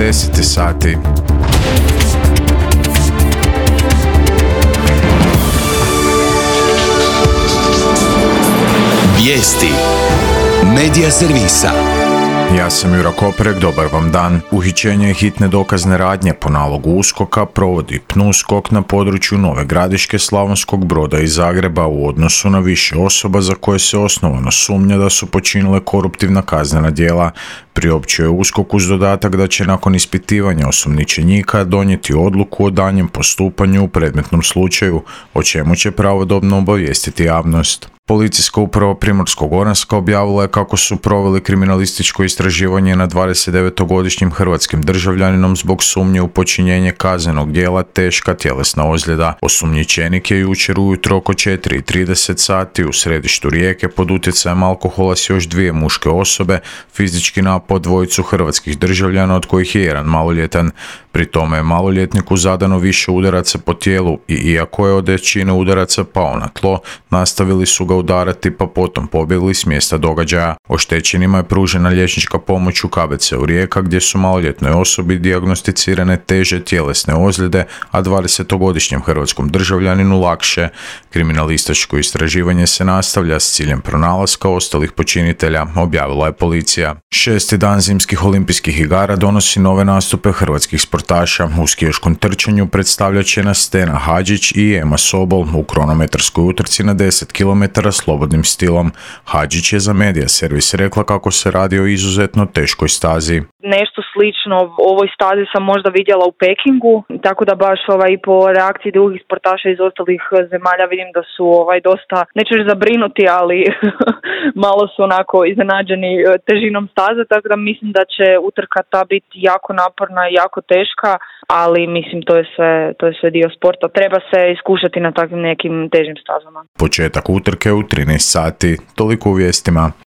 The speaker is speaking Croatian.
10 sati. Vijesti Medija servisa. Ja sam Jura Koprek, dobar vam dan. Uhićenje i hitne dokazne radnje po nalogu USKOK-a provodi PNUSKOK na području Nove Gradiške, Slavonskog Broda i Zagreba u odnosu na više osoba za koje se osnovano sumnja da su počinile koruptivna kaznena djela. Priopćio je USKOK uz dodatak da će nakon ispitivanja osumnjičenika donijeti odluku o daljnjem postupanju u predmetnom slučaju, o čemu će pravodobno obavijestiti javnost. Policijska uprava Primorsko-goranska objavila je kako su proveli kriminalističko istraživanje nad 29-godišnjim hrvatskim državljaninom zbog sumnje u počinjenje kaznenog djela teška tjelesna ozljeda. Osumnjičenik je jučer ujutro oko 4:30 sati u središtu Rijeke pod utjecajem alkohola s još dvije muške osobe fizički napao dvojicu hrvatskih državljana, od kojih je jedan maloljetan. Pri tome je maloljetniku zadano više udaraca po tijelu i iako je od većine udaraca pao na tlo, nastavili su ga udarati pa potom pobjegli s mjesta događaja. Oštećenima je pružena liječnička pomoć u KBC-u Rijeka gdje su maloljetnoj osobi dijagnosticirane teže tjelesne ozljede, a 20-godišnjem hrvatskom državljaninu lakše. Kriminalističko istraživanje se nastavlja s ciljem pronalaska ostalih počinitelja, objavila je policija. 6. dan zimskih olimpijskih igara donosi nove nastupe hrvatskih sportaša. U skijaškom trčanju predstavljat će nas Stena Hadžić i Ema Sobol u kronometarskoj utrci na 10 km slobodnim stilom. Hadžić je za Medija servis rekla kako se radi o izuzetno teškoj stazi. Nešto slično ovoj stazi sam možda vidjela u Pekingu, tako da baš i po reakciji drugih sportaša iz ostalih zemalja vidim da su dosta, neću reći zabrinuti, ali malo su onako iznenađeni težinom staze, tako da mislim da će utrka ta biti jako naporna i jako teška, ali mislim to je sve dio sporta. Treba se iskušati na takvim nekim težim stazama. Početak utrke u 13 sati. Toliko u vijestima.